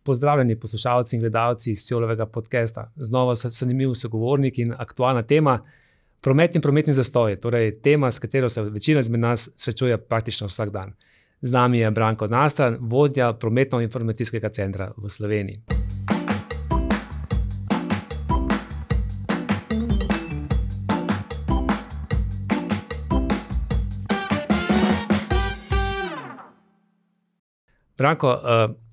Pozdravljeni poslušalci in gledalci Sjolovega podcasta. Znova zanimiv sogovornik in aktualna tema promet in prometni zastoj, torej tema, s katero se večina izmed nas srečuje praktično vsak dan. Z nami je Branko Nastran, vodja prometno-informacijskega centra v Sloveniji. Branko,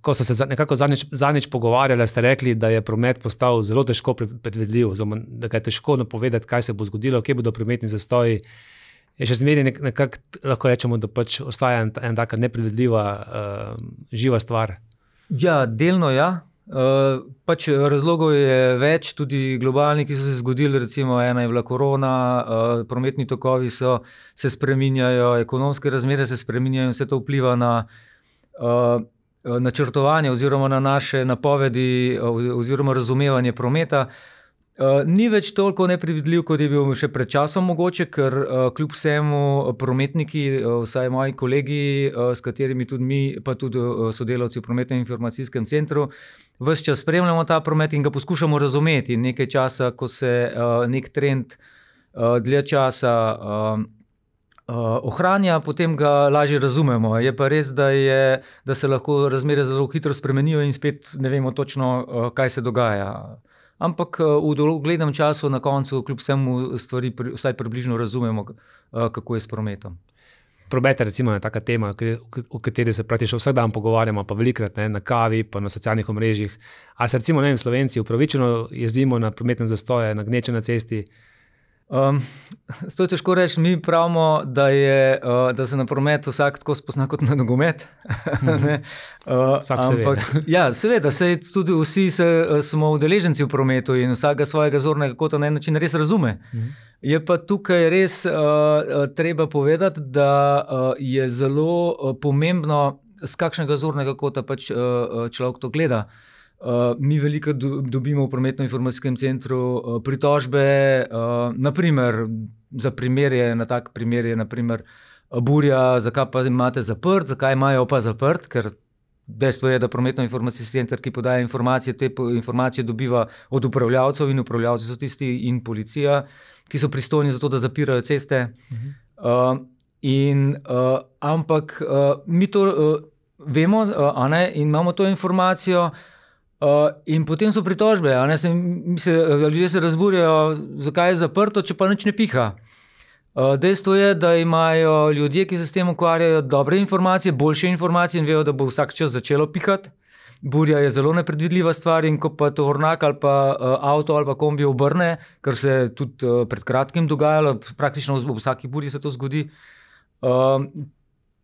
ko so se nekako zadnjič pogovarjali, ste rekli, da je promet postal zelo težko predvidljiv, oziroma da ga je težko napovedati, kaj se bo zgodilo, kje bodo prometni zastoji. Je še zmeraj nekako, lahko rečemo, da pač ostaja ena taka nepredvidljiva, živa stvar. Ja, delno ja. Pač razlogov je več, tudi globalni, ki so se zgodili, recimo ena je bila korona, prometni tokovi se spreminjajo, ekonomske razmere se spreminjajo in vse to vpliva na načrtovanje oziroma na naše napovedi oziroma razumevanje prometa. Ni več toliko nepredvidljiv, kot je bil še pred časom mogoče, ker kljub vsemu prometniki, vsaj moji kolegi, s katerimi tudi mi, pa tudi sodelavci v prometnem informacijskem centru, ves čas spremljamo ta promet in ga poskušamo razumeti. Nekaj časa, ko se nek trend dlje časa ohranja, potem ga lažje razumemo. Je pa res, da se lahko razmere zelo hitro spremenijo in spet ne vemo točno, kaj se dogaja. Ampak v doglednem času na koncu kljub vsemu stvari vsaj približno razumemo, kako je s prometom. Promet je recimo taka tema, o kateri se praktično vsak dan pogovarjamo, pa velikrat na kavi, pa na socialnih omrežjih. A se recimo Slovenci upravičeno jezdimo na prometne zastoje, na gneče na cesti? To je težko reči, mi pravimo, da se na promet vsak tako spozna kot na nogomet. Vsak se ve. Ja, seveda, tudi vsi smo udeleženci v prometu in vsakega svojega zornega kota na en način res razume. Je pa tukaj res treba povedati, da je zelo pomembno, z kakšnega zornega kota pač človek to gleda. Mi veliko dobimo v prometno-informacijskem centru pritožbe, naprimer, za tak primer je naprimer burja, zakaj pa imate zaprt, zakaj imajo pa zaprt, ker dejstvo je, da prometno-informacijski center, ki podaja informacije, te informacije dobiva od upravljavcev in upravljavci so tisti in policija, ki so pristojni za to, da zapirajo ceste. Ampak mi to vemo, in imamo to informacijo. In potem so pritožbe, ljudje se razburjajo, zakaj je zaprto, če pa nič ne piha. Dejstvo je, da imajo ljudje, ki se s tem ukvarjajo, dobre informacije, boljše informacije in vejo, da bo vsak čas začelo pihati. Burja je zelo nepredvidljiva stvar in ko pa tovornjak ali pa avto ali pa kombi obrne, kar se tudi pred kratkim dogajalo, praktično v vsaki burji se to zgodi,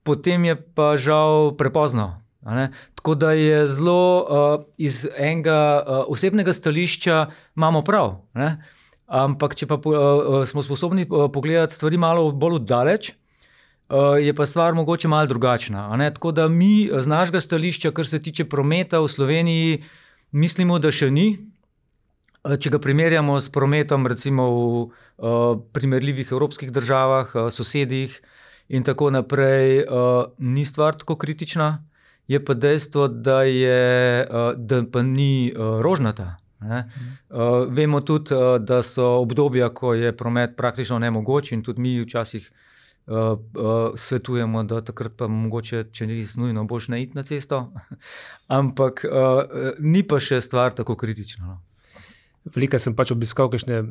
potem je pa žal prepozno. Tako da je zelo iz enega osebnega stališča imamo prav. Ampak če pa smo sposobni pogledati stvari malo bolj oddaleč, je pa stvar mogoče malo drugačna. Tako da mi z našega stališča, kar se tiče prometa v Sloveniji, mislimo, da še ni. Če ga primerjamo s prometom recimo v primerljivih evropskih državah, sosedih in tako naprej, ni stvar tako kritična. Je pa dejstvo, da pa ni rožnata. Vemo tudi, da so obdobja, ko je promet praktično nemogoč in tudi mi včasih svetujemo, da takrat pa mogoče, če ni nujno, boljše ne iti na cesto. Ampak ni pa še stvar tako kritična. Veliko sem pač obiskal kakšne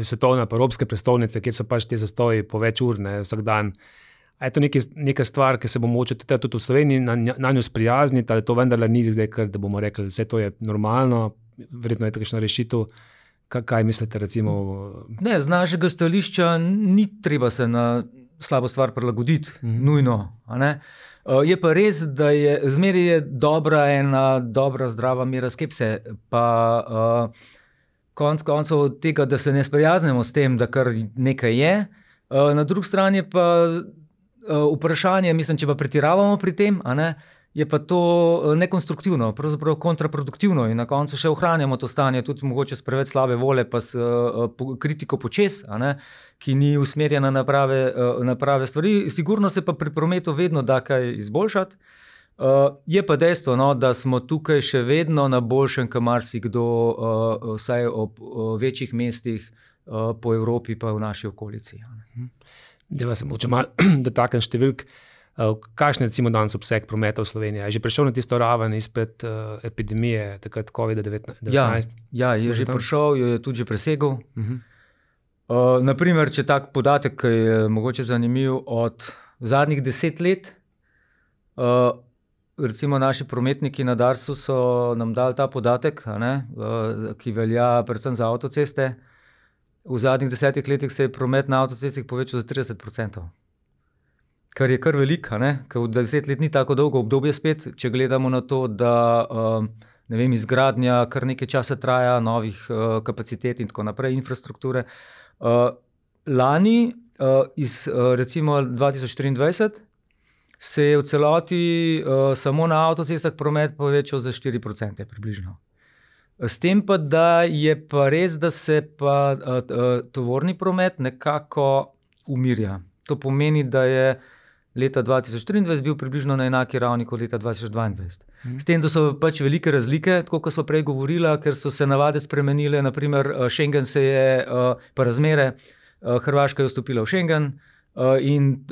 svetovne pa evropske prestolnice, kjer so pač te zastoji po več ur, vsak dan. A je to neka stvar, ki se bomo mogoče tudi v Sloveniji na njo sprijazniti, ali to vendarle ni zdaj, da bomo rekli, vse to je normalno, verjetno je takšna rešitev. Kaj mislite recimo? Ne, z našega stališča ni treba se na slabo stvar prilagoditi, nujno. Je pa res, da zmeraj je dobra zdrava mera skepse, pa konec koncev od tega, da se ne sprijaznemo s tem, da kar nekaj je. Na drugi strani pa vprašanje, mislim, če pa pretiravamo pri tem, je pa to nekonstruktivno, pravzaprav kontraproduktivno in na koncu še ohranjamo to stanje, tudi mogoče s preveč slabe volje, pa s kritiko počez, ki ni usmerjena na prave stvari. Sigurno se pa pri prometu vedno da kaj izboljšati. Je pa dejstvo, no, da smo tukaj še vedno na boljšem, kot marsikdo, vsaj ob večjih mestih po Evropi, pa v naši okolici. Da se mogoče malo dotaknem številk. Kakšen je recimo danes obseg prometa v Sloveniji? Je že prišel na tisto raven izpred epidemije, takrat COVID-19? Ja, je že prišel, je tudi že presegel. Naprimer, če tak podatek, ki je mogoče zanimiv, od zadnjih 10 let, recimo naši prometniki na Darsu so nam dali ta podatek, ki velja predvsem za avtoceste. V zadnjih 10 letih se je promet na avtocestih povečal za 30%. Kar je kar veliko, ker v 10 let ni tako dolgo obdobje spet, če gledamo na to, da izgradnja kar nekaj časa traja, novih kapacitet in tako naprej, infrastrukture. Lani, iz recimo 2023, se je v celoti samo na avtocestah promet povečal za 4% približno. S tem pa, da je pa res, da se pa tovorni promet nekako umirja. To pomeni, da je leta 2023 bil približno na enaki ravni kot leta 2022. S tem, da so pač velike razlike, tako kot smo prej govorili, ker so se navade spremenile, naprimer Schengen se je, pa razmere, Hrvaška je vstopila v Schengen in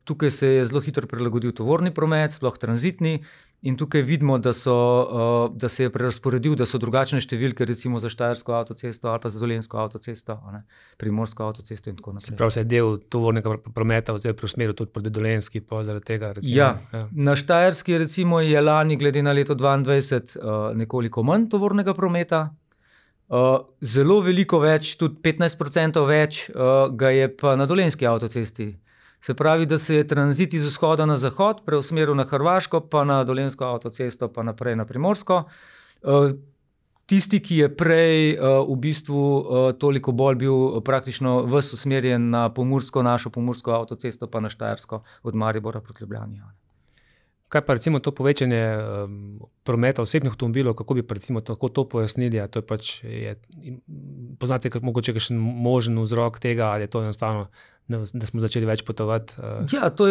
tukaj se je zelo hitro prilagodil tovorni promet, sploh tranzitni, in tukaj vidimo, da se je prerasporedil, da so drugačne številke, recimo za Štajersko avtocesto ali pa za Dolenjsko avtocesto, Primorsko avtocesto in tako naprej. Se pravi, se je del tovornega prometa zdaj preusmeril tudi proti Dolenjski, pa zaradi tega recimo. Ja. Na Štajerski recimo je lani glede na leto 2022 nekoliko manj tovornega prometa. Zelo veliko več, tudi 15% več ga je pa na Dolenjski avtocesti. Se pravi, da se je tranzit iz vzhoda na zahod preusmeril na Hrvaško, pa na Dolenjsko avtocesto, pa naprej na Primorsko. Tisti, ki je prej v bistvu toliko bolj bil praktično ves usmerjen na našo pomursko avtocesto, pa na Štajersko od Maribora proti Ljubljani. Kaj pa recimo to povečanje prometa osebnih avtomobilov, kako bi recimo to pojasnili? To je pač, poznate mogoče kakšen možen vzrok tega, ali je to enostavno, da smo začeli več potovati? Ja, to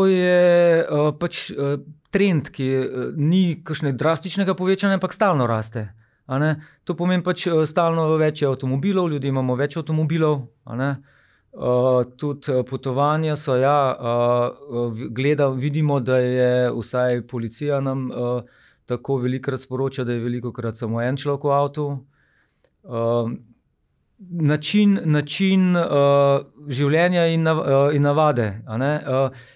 je pač trend, ki ni kakšne drastičnega povečanja, ampak stalno raste. To pomeni pač stalno več avtomobilov, ljudje imamo več avtomobilov, tudi potovanja so, vidimo, da je vsaj policija nam tako velikokrat sporoča, da je velikokrat samo en človek v avtu. Način življenja in navade.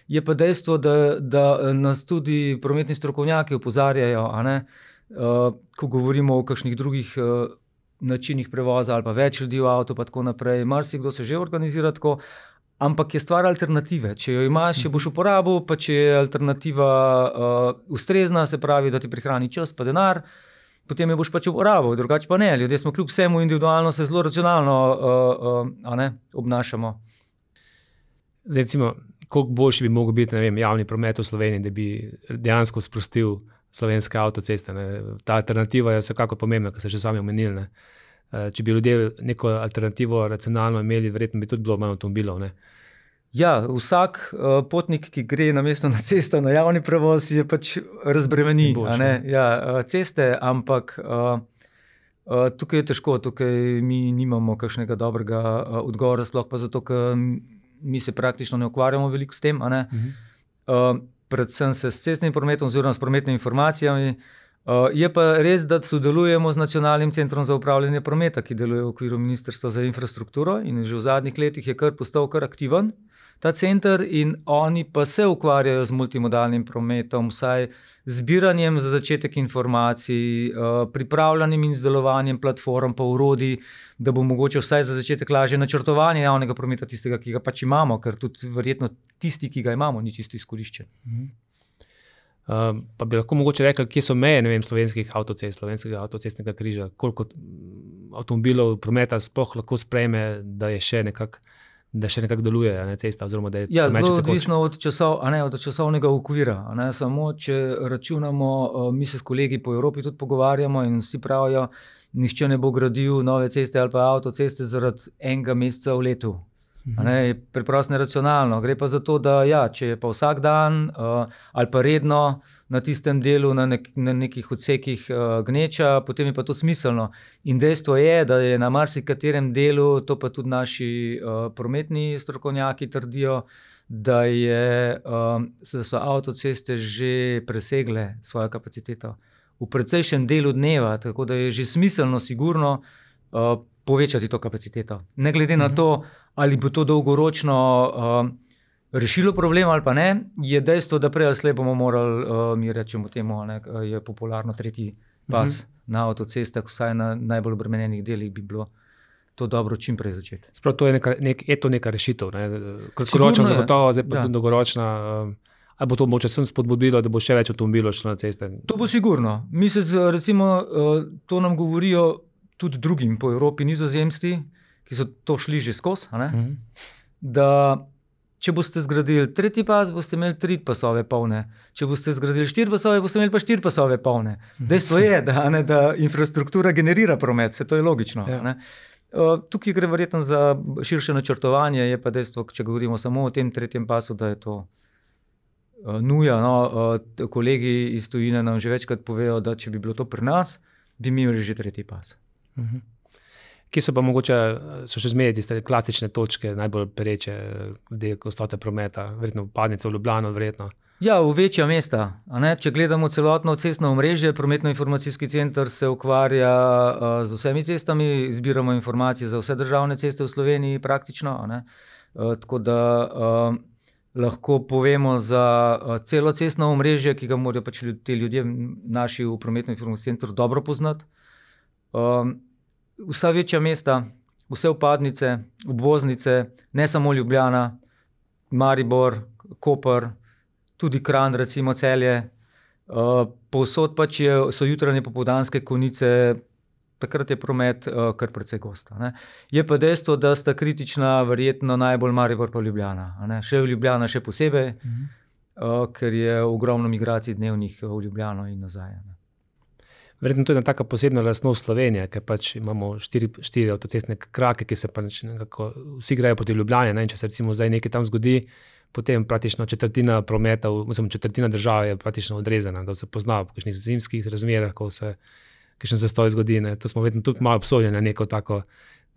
Je pa dejstvo, da nas tudi prometni strokovnjaki opozarjajo, ko govorimo o kakšnih drugih načinih prevoza ali pa več ljudi v avtu, pa tako naprej. Marsikdo se že organizira tako, ampak je stvar alternative. Če jo imaš, če boš uporabil, pa če je alternativa ustrezna, se pravi, da ti prihrani čas pa denar, potem jo boš pač uporabil, drugače pa ne. Ljudje smo kljub vsemu individualno, se zelo racionalno obnašamo. Zdaj, recimo, koliko boljši bi mogel biti, javni promet v Sloveniji, da bi dejansko sprostil slovenske avtoceste. Ta alternativa je vsekako pomembna, kar ste že sami omenili. Če bi ljudje neko alternativo racionalno imeli, verjetno bi tudi bilo manj avtomobilov. Ja, vsak potnik, ki gre namesto na cesto, na javni prevoz, je pač razbremeni ceste, ampak tukaj je težko, tukaj mi nimamo kakšnega dobrega odgovora, sploh pa zato, ker mi se praktično ne ukvarjamo veliko s tem, predvsem se s cestnim prometom oziroma s prometnimi informacijami. Je pa res, da sodelujemo z Nacionalnim centrom za upravljanje prometa, ki deluje v okviru Ministrstva za infrastrukturo in že v zadnjih letih je postal kar aktiven ta center, in oni pa se ukvarjajo z multimodalnim prometom, vsaj zbiranjem za začetek informacij, pripravljanjem in izdelovanjem platform pa orodij, da bo mogoče vsaj za začetek lažje načrtovanje javnega prometa, tistega, ki ga pač imamo, ker tudi verjetno tisti, ki ga imamo, ni čisto izkoriščen. Pa bi lahko mogoče rekli, kje so meje, slovenskih avtocest, slovenskega avtocestnega križa, koliko avtomobilov prometa sploh lahko sprejme, da še nekako deluje cesta, oziroma da je promet zelo odvisno od časovnega okvira. Samo če računamo, mi se s kolegi po Evropi tudi pogovarjamo in vsi pravijo, nihče ne bo gradil nove ceste ali pa avtoceste zaradi enega meseca v letu. Je preprosto neracionalno. Gre pa za to, da če je pa vsak dan ali pa redno na tistem delu, na nekih odsekih gneča, potem je pa to smiselno. In dejstvo je, da je na marsikaterem delu, to pa tudi naši prometni strokovnjaki trdijo, da so avtoceste že presegle svojo kapaciteto v precejšnjem delu dneva, tako da je že smiselno, sigurno povečati to kapaciteto. Ne glede na to, ali bo to dolgoročno rešilo problem ali pa ne, je dejstvo, da prej ali slej bomo morali, mi rečemo temu, je popularno tretji pas na avtocestah, vsaj na najbolj obremenjenih delih bi bilo to dobro čim prej začeti. Sprav to je to neka rešitev, kratkoročna zagotovo, zdaj pa dolgoročna. Ali bo to mogoče sem spodbudilo, da bo še več avtomobilov šlo na ceste? To bo sigurno. Recimo, to nam govorijo tudi drugim po Evropi, Nizozemci, ki so to šli že skozi, da če boste zgradili tretji pas, boste imeli 3 pasove polne. Če boste zgradili 4 pasove, boste imeli pa 4 pasove polne. Dejstvo je, da infrastruktura generira promet, to je logično. Tukaj gre verjetno za širše načrtovanje, je pa dejstvo, če govorimo samo o tem tretjem pasu, da je to nuja. Kolegi iz tujine nam že večkrat povejo, da če bi bilo to pri nas, bi mi imeli že tretji pas. Kje so pa mogoče, so še zmeraj tiste klasične točke, najbolj pereče, glede gostote prometa, verjetno vpadnice v Ljubljano, verjetno? Ja, v večja mesta. Če gledamo celotno cestno omrežje, prometno-informacijski center se ukvarja z vsemi cestami, zbiramo informacije za vse državne ceste v Sloveniji praktično. Tako da lahko povemo za celo cestno omrežje, ki ga morajo pač ti ljudje naši v prometno-informacijskem centru dobro poznati. Vsa večja mesta, vse vpadnice, obvoznice, ne samo Ljubljana, Maribor, Koper, tudi Kranj, recimo Celje. Povsod pač so jutranje popoldanske konice, takrat je promet kar precej gost. Je pa dejstvo, da sta kritična verjetno najbolj Maribor pa Ljubljana. Še v Ljubljana še posebej, ker je ogromno migracij dnevnih v Ljubljano in nazaj. Verjetno to je ena taka posebna lastnost Slovenije, ker pač imamo 4 avtocestne krake, ki se pač nekako vsi grejo proti Ljubljani, in če se recimo zdaj nekaj tam zgodi, potem praktično četrtina prometa, četrtina države je praktično odrezana, da se pozna v kakšnih zimskih razmerah, ko se kakšen zastoj zgodi. To smo verjetno tudi malo obsojeni na neko tako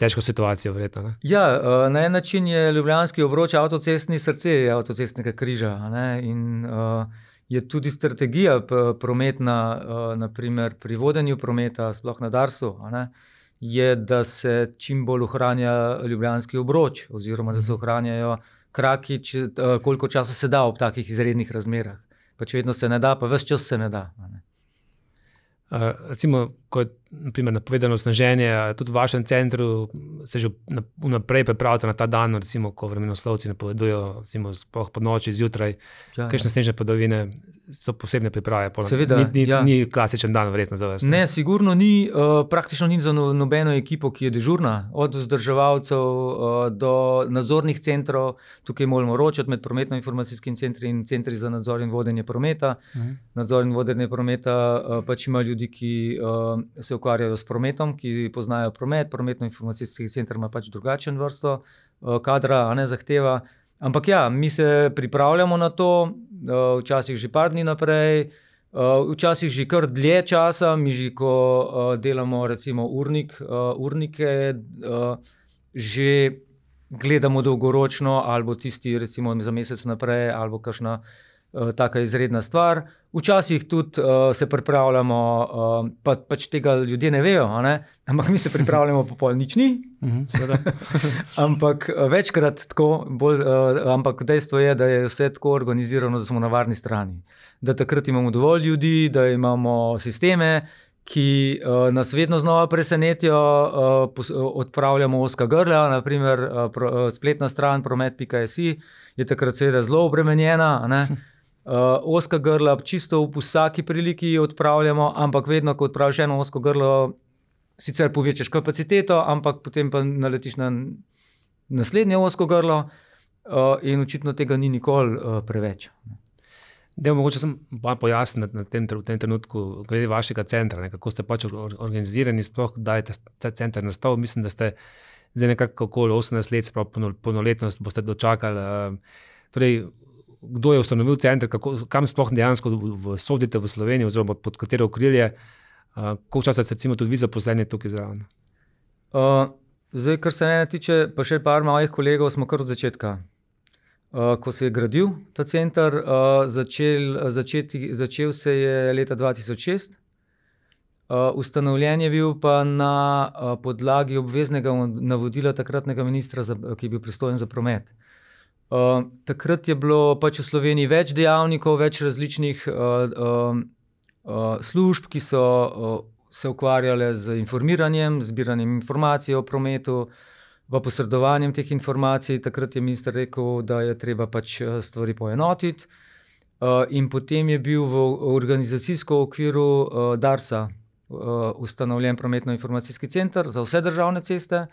težko situacijo, verjetno. Ja, na en način je ljubljanski obroč avtocestni srce avtocestnega križa, in je tudi strategija prometna, naprimer pri vodenju prometa, sploh na Darsu, je, da se čim bolj ohranja ljubljanski obroč, oziroma da se ohranjajo kraki, koliko časa se da ob takih izrednih razmerah. Pač vedno se ne da, pa ves čas se ne da. Recimo, ko je napovedano sneženje, tudi v vašem centru se že vnaprej pripravite na ta dan, recimo, ko vremenoslovci napovedujejo, recimo, sploh po noči, zjutraj, kakšne snežne padavine so posebne priprave. Seveda, ni klasičen dan, verjetno za vas. Ne, sigurno ni, praktično ni za nobeno ekipo, ki je dežurna, od vzdrževalcev do nadzornih centrov. Tukaj moramo ročati med prometno-informacijskim centri in centri za nadzor in vodenje prometa. Nadzor in vodenje prometa pač ima ljudi, ki se ukvarjajo s prometom, ki poznajo promet, prometno-informacijski center ima pač drugačen vrsto kadra, zahteva. Ampak ja, mi se pripravljamo na to, včasih že par dni naprej, včasih že kar dlje časa, mi že ko delamo recimo urnike, že gledamo dolgoročno, ali bo tisti recimo za mesec naprej, ali bo kakšna taka izredna stvar. Včasih tudi se pripravljamo, pač tega ljudje ne vejo, ampak mi se pripravljamo po pol nič ni. Ampak večkrat tako, ampak dejstvo je, da je vse tako organizirano, da smo na varni strani. Da takrat imamo dovolj ljudi, da imamo sisteme, ki nas vedno znova presenetijo, odpravljamo ozka grla, naprimer spletna stran promet.si je takrat seveda zelo obremenjena, ozka grla čisto v vsaki priliki odpravljamo, ampak vedno, ko odpraviš eno ozko grlo, sicer povečaš kapaciteto, ampak potem pa naletiš na naslednje ozko grlo in očitno tega ni nikoli preveč. Mogoče sem pojasniti v tem trenutku glede vašega centra, kako ste pač organizirani, sploh da je ta center nastal. Mislim, da ste zdaj nekako okoli 18 let, spravo polnoletnost boste dočakali. Torej, kdo je ustanovil center, kam sploh dejansko sodite v Sloveniji, oziroma pod katero okrilje, koliko časa ste recimo tudi vi zaposleni tukaj zraven? Zdaj, kar se mene tiče, pa še par mojih kolegov, smo kar od začetka. Ko se je gradil ta center, začel se je leta 2006. Ustanovljen je bil pa na podlagi obveznega navodila takratnega ministra, ki je bil pristojen za promet. Takrat je bilo pač v Sloveniji več dejavnikov, več različnih služb, ki so se ukvarjale z informiranjem, zbiranjem informacij o prometu, v posredovanjem teh informacij. Takrat je minister rekel, da je treba pač stvari poenotiti. In potem je bil v organizacijskem okviru Darsa ustanovljen prometno-informacijski center za vse državne ceste,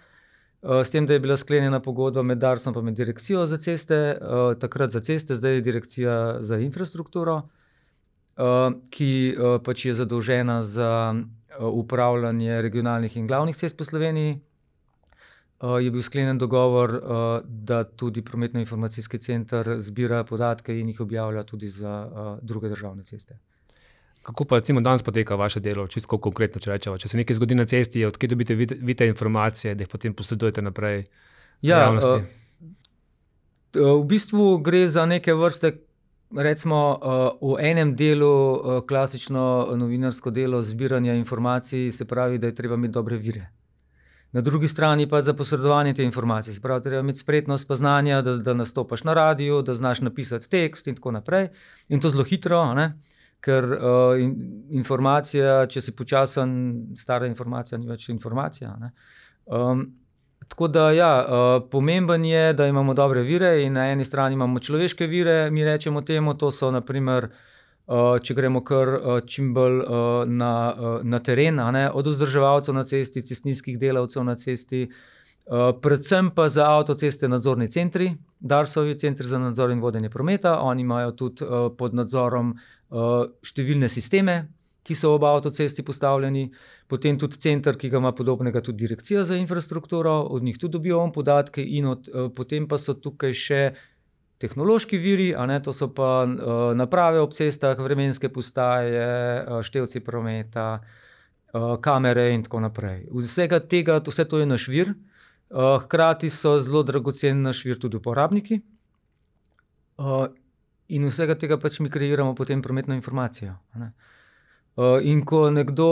s tem, da je bila sklenjena pogodba med Darsom pa med direkcijo za ceste, takrat za ceste, zdaj je direkcija za infrastrukturo, ki pač je zadolžena za upravljanje regionalnih in glavnih cest po Sloveniji. Je bil sklenjen dogovor, da tudi prometno-informacijski center zbira podatke in jih objavlja tudi za druge državne ceste. Kako pa recimo danes poteka vaše delo, čisto konkretno, če rečemo? Če se nekaj zgodi na cesti, odkje dobite vi te informacije, da jih potem posredujete naprej javnosti? V bistvu gre za neke vrste, recimo v enem delu klasično novinarsko delo zbiranja informacij, se pravi, da je treba imeti dobre vire. Na drugi strani pa za posredovanje te informacije, se pravi, treba imeti spretnost pa znanja, da nastopaš na radiju, da znaš napisati tekst in tako naprej. In to zelo hitro, ne? Ker informacija, če si počasen, stara informacija ni več informacija, ne? Tako da pomemben je, da imamo dobre vire in na eni strani imamo človeške vire, mi rečemo temu, to so na primer, če gremo kar čim bolj na teren, ne, od vzdrževalcev na cesti, cestninskih delavcev na cesti, predvsem pa za avtoceste nadzorni centri, Darsovi centri za nadzor in vodenje prometa, oni imajo tudi pod nadzorom številne sisteme, ki so ob avtocesti postavljeni, potem tudi center, ki ga ima podobnega tudi direkcija za infrastrukturo, od njih tudi dobivamo podatke in potem pa so tukaj še tehnološki viri, a ne, to so pa naprave ob cestah, vremenske postaje, števci prometa, kamere in tako naprej. Vsega tega, vse to je naš vir, hkrati so zelo dragocen naš vir tudi uporabniki in vsega tega pač mi kreiramo potem prometno informacijo, a ne. In ko nekdo,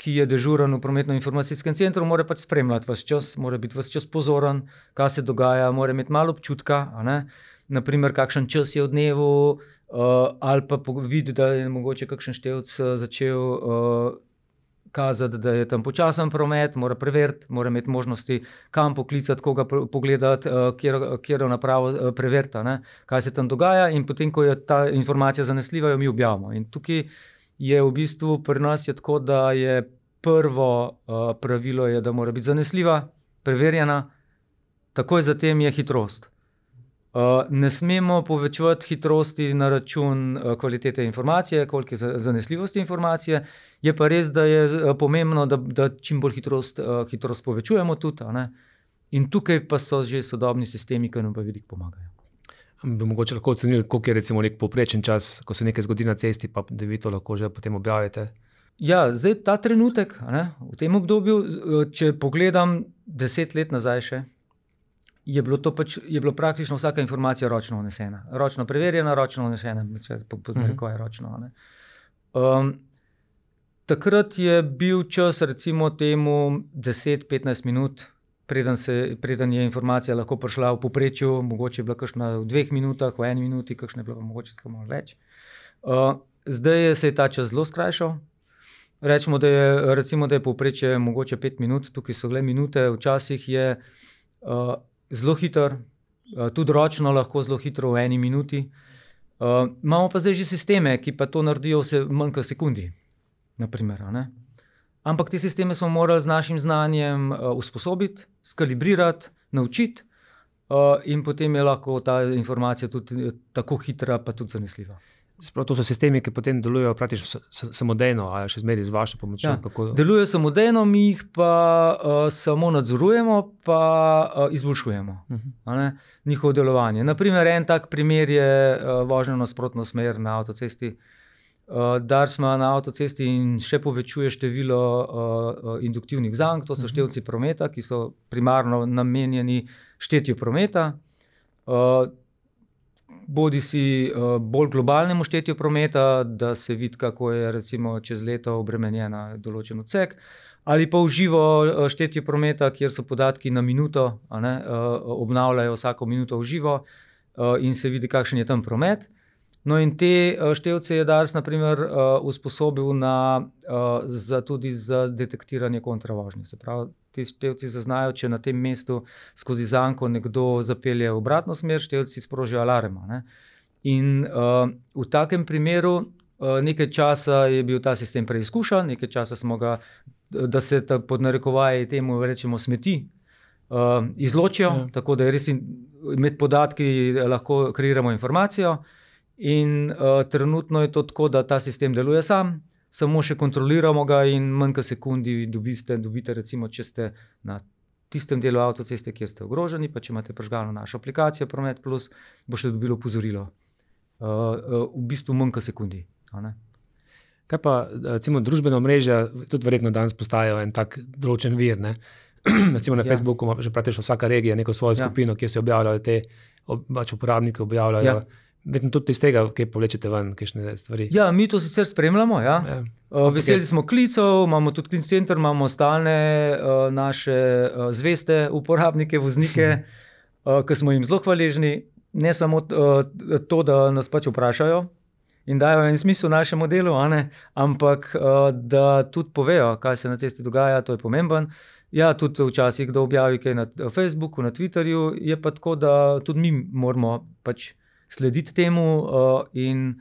ki je dežuren v prometno-informacijskem centru, mora pač spremljati ves čas, mora biti ves čas pozoren, kaj se dogaja, mora imeti malo občutka, a ne, naprimer, kakšen čas je v dnevu, ali pa vidi, da je mogoče kakšen števc začel kazati, da je tam počasen promet, mora preveriti, mora imeti možnosti, kam poklicati, koga pogledati, katero napravo preveriti, a ne, kaj se tam dogaja, in potem, ko je ta informacija zanesljiva, jo mi objavimo. In tukaj je v bistvu pri nas je tako, da je prvo pravilo je, da mora biti zanesljiva, preverjena, takoj zatem je hitrost. Ne smemo povečevati hitrosti na račun kvalitete informacije, koliko je zanesljivosti informacije, je pa res, da je pomembno, da čim bolj hitrost povečujemo tudi, a ne. In tukaj pa so že sodobni sistemi, ki nam pa veliko pomagajo. Bi mogoče lahko ocenili, koliko je recimo nek povprečen čas, ko se nekaj zgodi na cesti, pa da vi to lahko že potem objavite? Ja, zdaj ta trenutek, a ne, v tem obdobju, če pogledam 10 let nazaj še, je bilo praktično vsaka informacija ročno vnesena. Ročno preverjena, ročno vnesena, rekel je ročno, a ne. Takrat je bil čas recimo temu 10-15 minut, preden je informacija lahko prišla v povprečju, mogoče je bila kakšna v 2 minutah, v 1 minuti, kakšna je bila mogoče celo malo več. Zdaj se je ta čas zelo skrajšal. Recimo, da je povprečje mogoče 5 minut, tukaj so le minute, včasih je zelo hiter, tudi ročno lahko zelo hitro v 1 minuti. Imamo pa zdaj že sisteme, ki pa to naredijo vse manj kot sekundi, na primer, a ne. Ampak te sisteme smo morali z našim znanjem usposobiti, skalibrirati, naučiti, in potem je lahko ta informacija tudi tako hitra, pa tudi zanesljiva. Sprav, to so sistemi, ki potem delujejo praktično samodejno, ali še zmeraj z vašo pomočjo? Ja, delujejo samodejno, mi jih pa samo nadzorujemo, pa izboljšujemo njihovo delovanje. Naprimer, en tak primer je vožnja v nasprotno smer na avtocesti. Dars ima na avtocesti in še povečuje število induktivnih zank, to so števci prometa, ki so primarno namenjeni štetju prometa. Bodi si bolj globalnemu štetju prometa, da se vidi, kako je recimo čez leto obremenjena določen odsek, ali pa v živo štetje prometa, kjer so podatki na minuto, obnavljajo vsako minuto v živo in se vidi, kakšen je tam promet. No in te števce je Dars na primer usposobil tudi za detektiranje kontravožnje. Se pravi, ti števci zaznajo, če na tem mestu skozi zanko nekdo zapelje v obratno smer, števci sprožijo alarm. In v takem primeru nekaj časa je bil ta sistem preizkušan, nekaj časa smo ga, da se pod narekovaji temu rečemo smeti, izločijo, tako da je res med podatki lahko kreiramo informacijo. In trenutno je to tako, da ta sistem deluje sam, samo še kontroliramo ga in manj kot sekundi dobite recimo, če ste na tistem delu avtoceste, kjer ste ogroženi, pa če imate prižgano našo aplikacijo Promet Plus, boste dobili opozorilo. V bistvu manj kot sekundi. Kaj pa recimo družbeno mreža, tudi verjetno danes postajajo en tak določen vir, ne? Recimo na Facebooku ima že praktično vsaka regija neko svojo skupino, kjer se objavljajo te uporabniki, objavljajo. Vedno tudi iz tega, kaj povlečete ven, kakšne stvari. Ja, mi to sicer spremljamo, veseli smo klicev, imamo tudi klic center, imamo stalne naše zveste uporabnike, voznike, ki smo jim zelo hvaležni. Ne samo to, da nas pač vprašajo in dajo en smisel našemu delu, ampak da tudi povejo, kaj se na cesti dogaja, to je pomemben. Ja, tudi včasih, kdo objavi kaj na Facebooku, na Twitterju, je pa tako, da tudi mi moramo pač slediti temu in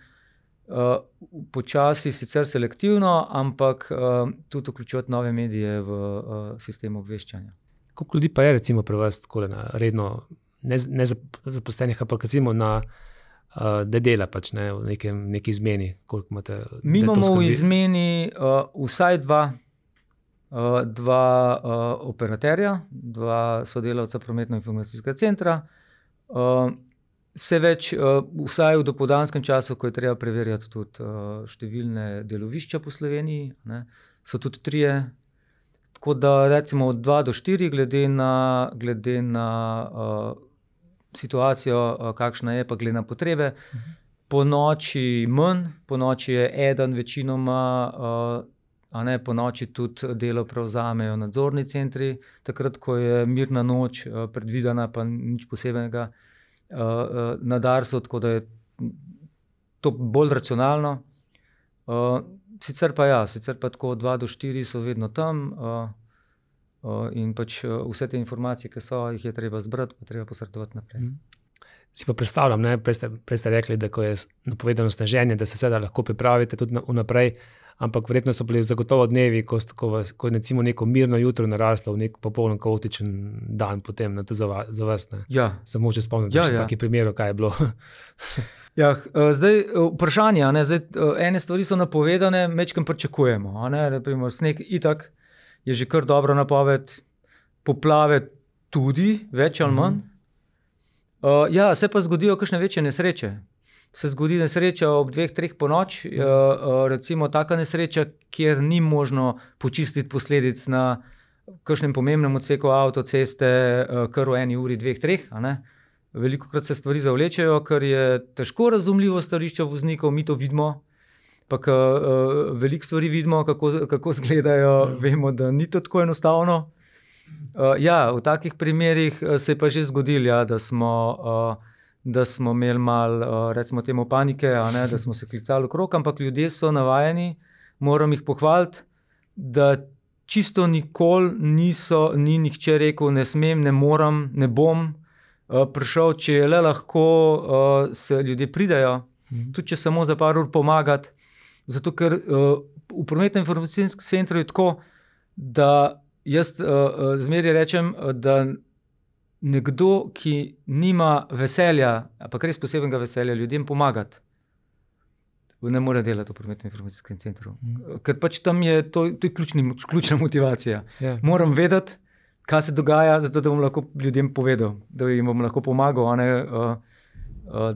počasi, sicer selektivno, ampak tudi vključevati nove medije v sistem obveščanja. Koliko ljudi pa je recimo pri vas tako redno, ne zaposlenih, ampak recimo na da dela pač v neki izmeni? Koliko imate? Mi imamo v izmeni vsaj dva operaterja, dva sodelavca prometno-informacijskega centra, vse več, vsaj v dopoldanskem času, ko je treba preverjati tudi številne delovišča po Sloveniji, so tudi 3. Tako da recimo od 2 do 4, glede na situacijo, kakšna je, pa glede na potrebe. Po noči manj, po noči je eden večinoma, po noči tudi delo prevzamejo nadzorni centri, takrat, ko je mirna noč predvidena, pa nič posebnega na Darsu, tako da je to bolj racionalno. Sicer pa tako 2 do 4 so vedno tam in pač vse te informacije, ki so, jih je treba zbrati, pa treba posredovati naprej. Si pa predstavljam, prej ste rekli, da ko je napovedano sneženje, da se seveda lahko pripravite tudi vnaprej, ampak verjetno so bili zagotovo dnevi, ko je recimo neko mirno jutro naraslo v nek popolno kaotičen dan potem za vas. Ja. Samo če spomnite še takih primerov, kaj je bilo. Ja, zdaj vprašanje, ene stvari so napovedane, majčkeno pričakujemo. Naprimer, sneg itak je že kar dobro napoved, poplave tudi, več ali manj. Se pa zgodijo kakšne večje nesreče. Se zgodi nesreča ob 2-3 po noč, recimo taka nesreča, kjer ni možno počistiti posledic na kakšnem pomembnem odseku avtoceste, kar v 1 uri, 2-3. Velikokrat se stvari zavlečejo, ker je težko razumljivo stališče voznikov, mi to vidimo, pa veliko stvari vidimo, kako izgledajo, vemo, da ni to tako enostavno. V takih primerih se je pa že zgodilo, da smo imeli malo, recimo temu panike, da smo se klicali okrog, ampak ljudje so navajeni, moram jih pohvaliti, da čisto nikoli ni nihče rekel, ne smem, ne moram, ne bom prišel, če je le lahko, se ljudje pridejo, tudi če samo za par ur pomagati, zato ker v prometno-informacijskem centru je tako, da jaz zmeraj rečem, da nekdo, ki nima veselja, ampak res posebnega veselja ljudem pomagati, ne more delati v prometno-informacijskem centru. Ker pač tam je to je ključna motivacija. Moram vedeti, kaj se dogaja, zato da bom lahko ljudem povedal, da jim bom lahko pomagal, a ne,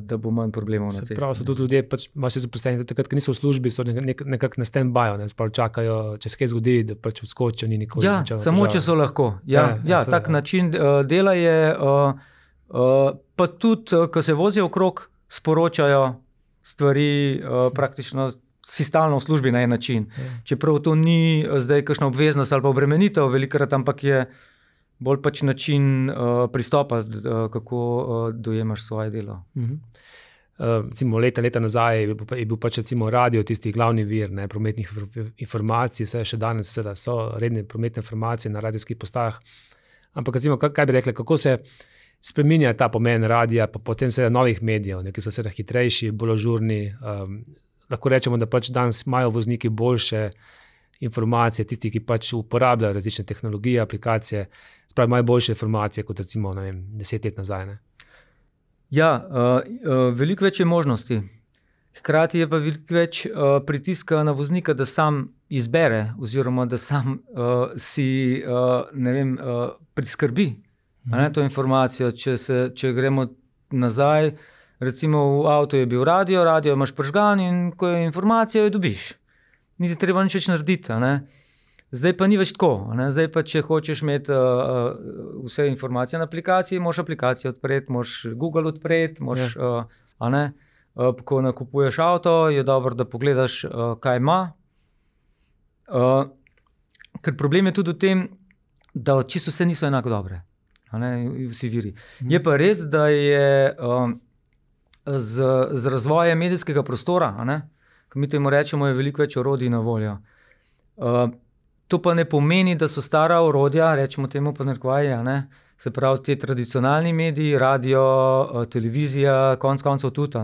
da bo manj problemov na cesti. Prav so tudi ljudje, pač vaši zaposleni, tudi takrat, ko niso v službi, so nekako na stand-byu, ne, čakajo, če se kaj zgodi, da pač vskočijo, ni nikoli. Ja, samo če so lahko. Tak način dela je, pa tudi, ko se vozijo okrog, sporočajo stvari praktično si stalno v službi na en način. Čeprav to ni zdaj kakšna obveznost ali pa obremenitev velikokrat, ampak je bolj pač način pristopa, kako dojemaš svoje delo. Recimo leta nazaj je bil pač recimo radio tisti glavni vir, ne, prometnih informacij, še danes so redne prometne informacije na radijskih postajah. Ampak recimo, kaj bi rekli, kako se spreminja ta pomen radija, pa potem novih medijev, ki so hitrejši, bolj ažurni. Lahko rečemo, da pač danes imajo vozniki boljše informacije, tisti, ki pač uporabljajo različne tehnologije, aplikacije, spravi imajo boljše informacije kot recimo 10 let nazaj. Ne? Ja, veliko več je možnosti. Hkrati je pa veliko več pritiska na voznika, da sam izbere oziroma da sam si priskrbi to informacijo. Če gremo nazaj, recimo v avtu je bil radio imaš prižgan in ko je informacija, jo dobiš. Ni treba nič več narediti. Zdaj pa ni več tako. Zdaj pa, če hočeš imeti vse informacije na aplikaciji, moraš aplikacijo odpreti, moraš Google odpreti, ko nakupuješ avto, je dobro, da pogledaš, kaj ima. Ker problem je tudi v tem, da čisto vse niso enako dobre. Vsi viri. Je pa res, da je z razvojem medijskega prostora, ko mi temu rečemo, je veliko več orodij na voljo. To pa ne pomeni, da so stara orodja, rečemo temu pa narekovaji, se pravi te tradicionalni mediji, radio, televizija, konec koncev tudi,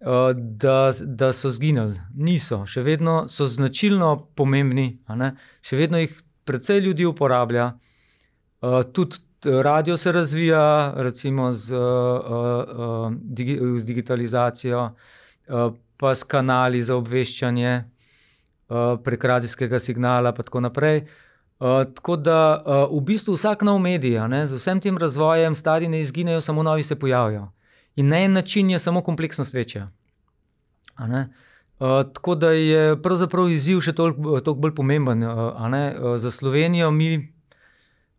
da so zginili. Niso, še vedno so značilno pomembni, še vedno jih precej ljudi uporablja. Tudi radio se razvija, recimo z digitalizacijo, pa s kanali za obveščanje prek radijskega signala pa tako naprej. Tako da v bistvu vsak nov medij, z vsem tem razvojem stari ne izginejo, samo novi se pojavijo. In na en način je samo kompleksnost večja. Tako da je pravzaprav izziv še toliko bolj pomemben. Za Slovenijo mi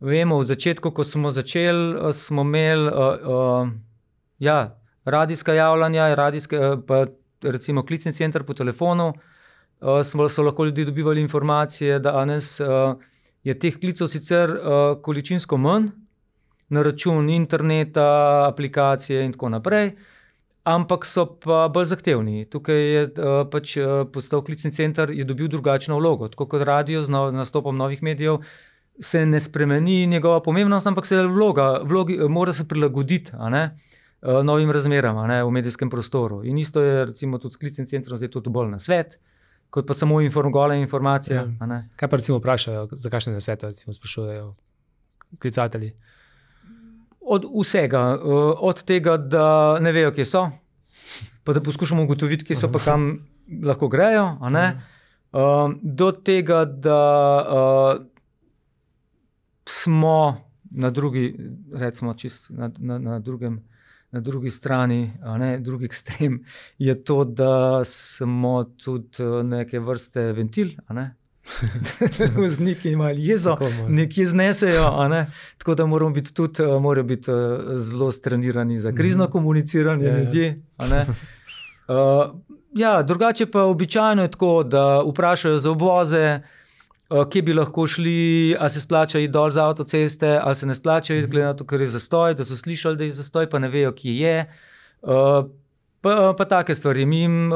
vemo, v začetku, ko smo začeli, smo imeli radijska javljanja, pa recimo klicni center po telefonu, so lahko ljudje dobivali informacije, da danes je teh klicev sicer količinsko manj, na račun interneta, aplikacije in tako naprej, ampak so pa bolj zahtevni. Tukaj je pač postal klicni center, je dobil drugačno vlogo, tako kot radio z nastopom novih medijev, se ne spremeni njegova pomembnost, ampak se vlogi mora se prilagoditi novim razmeram v medijskem prostoru. In isto je recimo tudi s klicnim centrom, zdaj tudi bolj na svet, kot pa samo gole informacije. Kaj pa recimo vprašajo, za kakšne nasvete recimo sprašujejo klicatelji? Od vsega, od tega, da ne vejo, kje so, pa da poskušamo ugotoviti, kje so pa kam lahko grejo, do tega, da smo na drugi, recimo čist na drugi strani, drugi ekstrem, je to, da smo tudi neke vrste ventil, vozniki imajo jezo, nekje znesejo, tako da morajo biti zelo strenirani za krizno komuniciranje ljudje. Drugače pa običajno je tako, da vprašajo za obvoze, kje bi lahko šli, ali se splača iti dol z avtoceste, ali se ne splača iti, glede na to, ker je zastoj, da so slišali, da je zastoj, pa ne vejo, kje je. Pa take stvari. Mi jim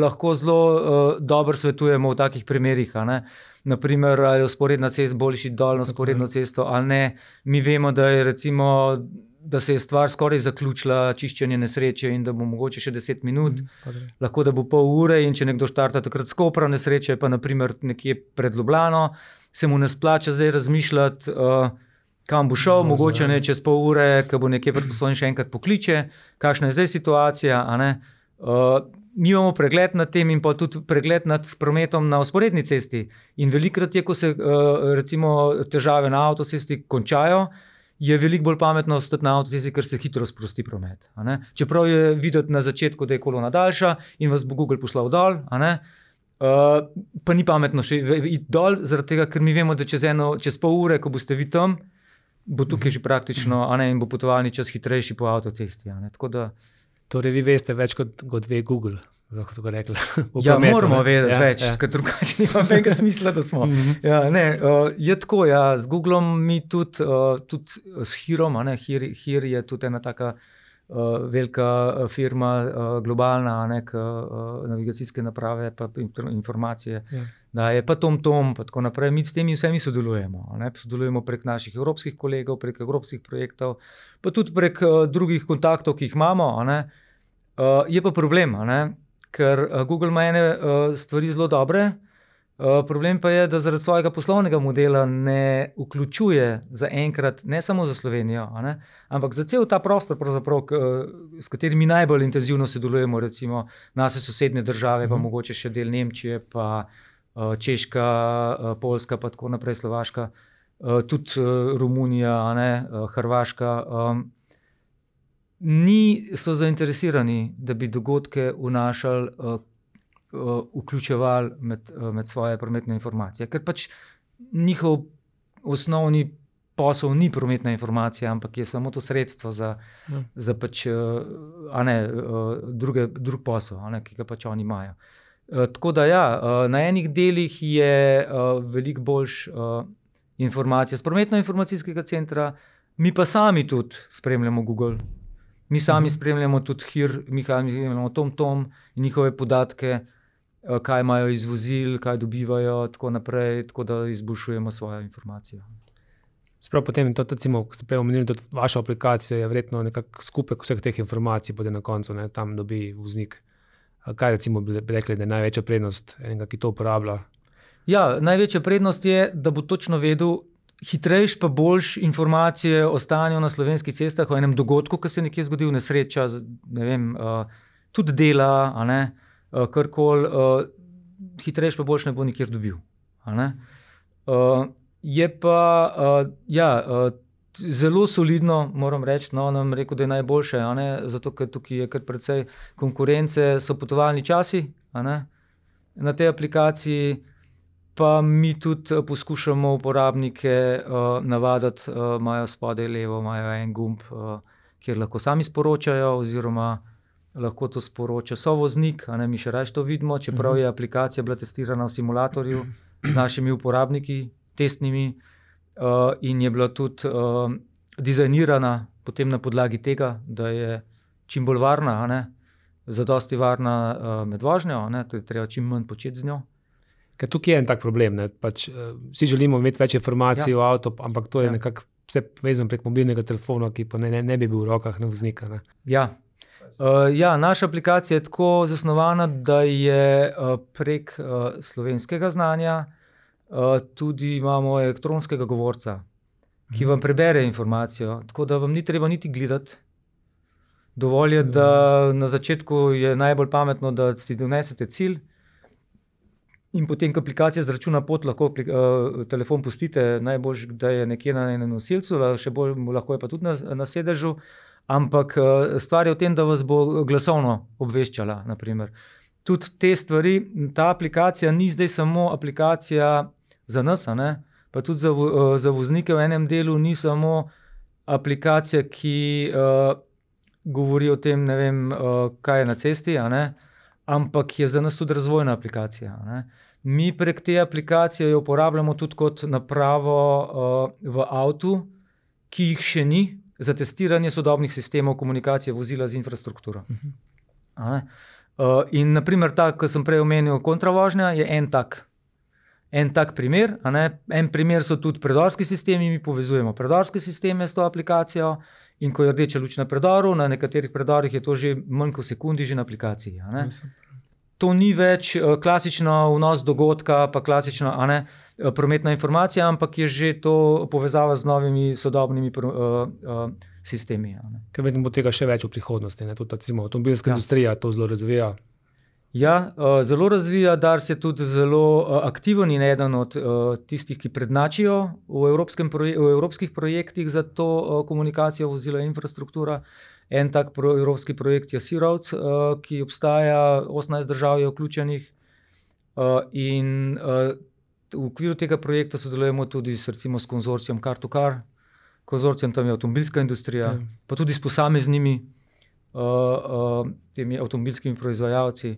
lahko zelo dobro svetujemo v takih primerih. Naprimer, ali je vzporedna cesta, bolj iti dol na vzporedno cesto ali ne. Mi vemo, da je recimo, da se je stvar skoraj zaključila, čiščenje nesreče in da bo mogoče še 10 minut, lahko da bo pol ure in če nekdo štarta takrat s Kopra, nesreče pa naprimer nekje pred Ljubljano, se mu ne splača zdaj razmišljati, kam bo šel, mogoče ne čez pol ure, ko bo nekje pred Postojno še enkrat pokliče, kakšna je zdaj situacija, mi imamo pregled nad tem in pa tudi pregled nad prometom na vzporedni cesti. In velikokrat je, ko se recimo težave na avtocesti končajo, je veliko bolj pametno ostati na avtocesti, ker se hitro sprosti promet. Čeprav je videti na začetku, da je kolona daljša in vas bo Google poslal dol, pa ni pametno še iti dol, zaradi tega, ker mi vemo, da čez pol ure, ko boste vi tam, bo tukaj že praktično in bo potovalni čas hitrejši po avtocesti. Tako da... Torej, vi veste več kot ve Google, lahko tako rekla. Ja, moramo vedeti več, ker drugače nima veliko smisla, da smo. Je tako, z Googlom mi tudi s Hirom, Hir je tudi ena taka velika firma, globalna, navigacijske naprave, pa informacije, daje, pa TomTom, pa tako naprej. Mi s temi vsemi sodelujemo. Sodelujemo prek naših evropskih kolegov, prek evropskih projektov, pa tudi prek drugih kontaktov, ki jih imamo. Je pa problem, ker Google ima ene stvari zelo dobre, problem pa je, da zaradi svojega poslovnega modela ne vključuje zaenkrat, ne samo za Slovenijo, ampak za cel ta prostor, s katerimi najbolj intenzivno sodelujemo, recimo naše sosednje države, pa mogoče še del Nemčije, pa Češka, Poljska, pa tako naprej, Slovaška, tudi Romunija, Hrvaška. So zainteresirani, da bi dogodke vnašali, vključevali med svoje prometne informacije. Ker pač njihov osnovni posel ni prometna informacija, ampak je samo to sredstvo za pač, drug posel, ki ga pač oni imajo. Tako da na enih delih je veliko boljš informacija z prometno-informacijskega centra, mi pa sami tudi spremljamo Google. Mi sami spremljamo tudi Hir, mi spremljamo TomTom in njihove podatke, kaj imajo iz vozil, kaj dobivajo, tako naprej, tako da izboljšujemo svojo informacijo. Sprav potem, recimo, ko ste prej omenili, tudi vaša aplikacija je verjetno nekako skupek vseh teh informacij, potem na koncu tam dobi voznik. Kaj recimo bi rekli, da je največja prednost enega, ki to uporablja? Ja, največja prednost je, da bo točno vedel, hitrejš pa boljš informacije o stanju na slovenskih cestah, o enem dogodku, ki se nekje zgodil, nesreča, ne vem, tudi dela, karkoli, hitrejš pa boljš ne bo nikjer dobil. Je pa, zelo solidno, moram reči, nam rekel, da je najboljše, zato, ker tukaj je kar precej konkurence, so potovalni časi, na tej aplikaciji, pa mi tudi poskušamo uporabnike navaditi, imajo spodaj levo, imajo en gumb, kjer lahko sami sporočajo, oziroma lahko to sporoča sovoznik, mi še raje to vidimo, čeprav je aplikacija bila testirana v simulatorju z našimi uporabniki, testnimi, in je bila tudi dizajnirana potem na podlagi tega, da je čim bolj varna, zadosti varna med vožnjo, to je treba čim manj početi z njo. Ker tukaj je en tak problem, pač, vsi želimo imeti več informacij o avtu, ampak to je nekako vse vezano prek mobilnega telefona, ki pa ne bi bil v rokah na voznika. Naša aplikacija je tako zasnovana, da je prek slovenskega znanja tudi imamo elektronskega govorca, ki vam prebere informacijo, tako da vam ni treba niti gledati. Dovolj je, da na začetku je najbolj pametno, da si donesete cilj, in potem, ko aplikacija zračuna pot, lahko telefon pustite, najbolj, da je nekje na enem nosilcu, še bolj lahko je pa tudi na sedežu, ampak stvar je v tem, da vas bo glasovno obveščala, naprimer. Tudi te stvari, ta aplikacija ni zdaj samo aplikacija za nas, pa tudi za voznike v enem delu ni samo aplikacija, ki govori o tem, ne vem, kaj je na cesti, ampak je za nas tudi razvojna aplikacija. Mi prek te aplikacije jo uporabljamo tudi kot napravo v avtu, ki jih še ni, za testiranje sodobnih sistemov komunikacije vozila z infrastrukturo. In naprimer ta, ko sem prej omenil kontravožnja, je en tak primer. En primer so tudi predorski sistemi, mi povezujemo predorske sisteme s to aplikacijo, in ko je rdeča luč na predoru, na nekaterih predorih je to že manj kot sekundi že na aplikaciji. To ni več klasično vnos dogodka, pa klasična prometna informacija, ampak je že to povezava z novimi sodobnimi sistemi. Ker vedno bo tega še več v prihodnosti. Tudi avtomobilska industrija to zelo razvija. Ja, zelo razvija, Dars je tudi zelo aktiven in eden od tistih, ki prednačijo v evropskih projektih za to komunikacijo vozila infrastruktura. En tak evropski projekt je Sea Roads, ki obstaja, 18 držav je vključenih, in v okviru tega projekta sodelujemo tudi recimo s konzorcijom Car2Car. Konzorcijom tam je avtomobilska industrija, pa tudi s posameznimi temi avtomobilskimi proizvajalci.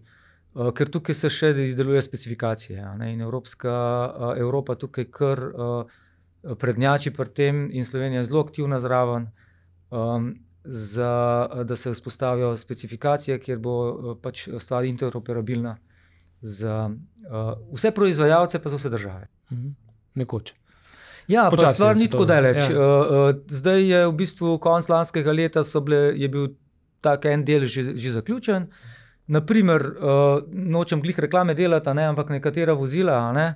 Ker tukaj se še izdeluje specifikacije, ne, in Evropa tukaj kar prednjači pri tem in Slovenija je zelo aktivna zraven, da se vzpostavijo specifikacije, kjer bo pač stvar interoperabilna za vse proizvajalce, pa za vse države. Nekoč. Ja, pa Počasi stvar se ni to- tako daleč. ja. Zdaj je v bistvu konec lanskega leta je bil tak en del že zaključen. Naprimer, nočem glih reklame delati, ne, ampak nekatera vozila, ne,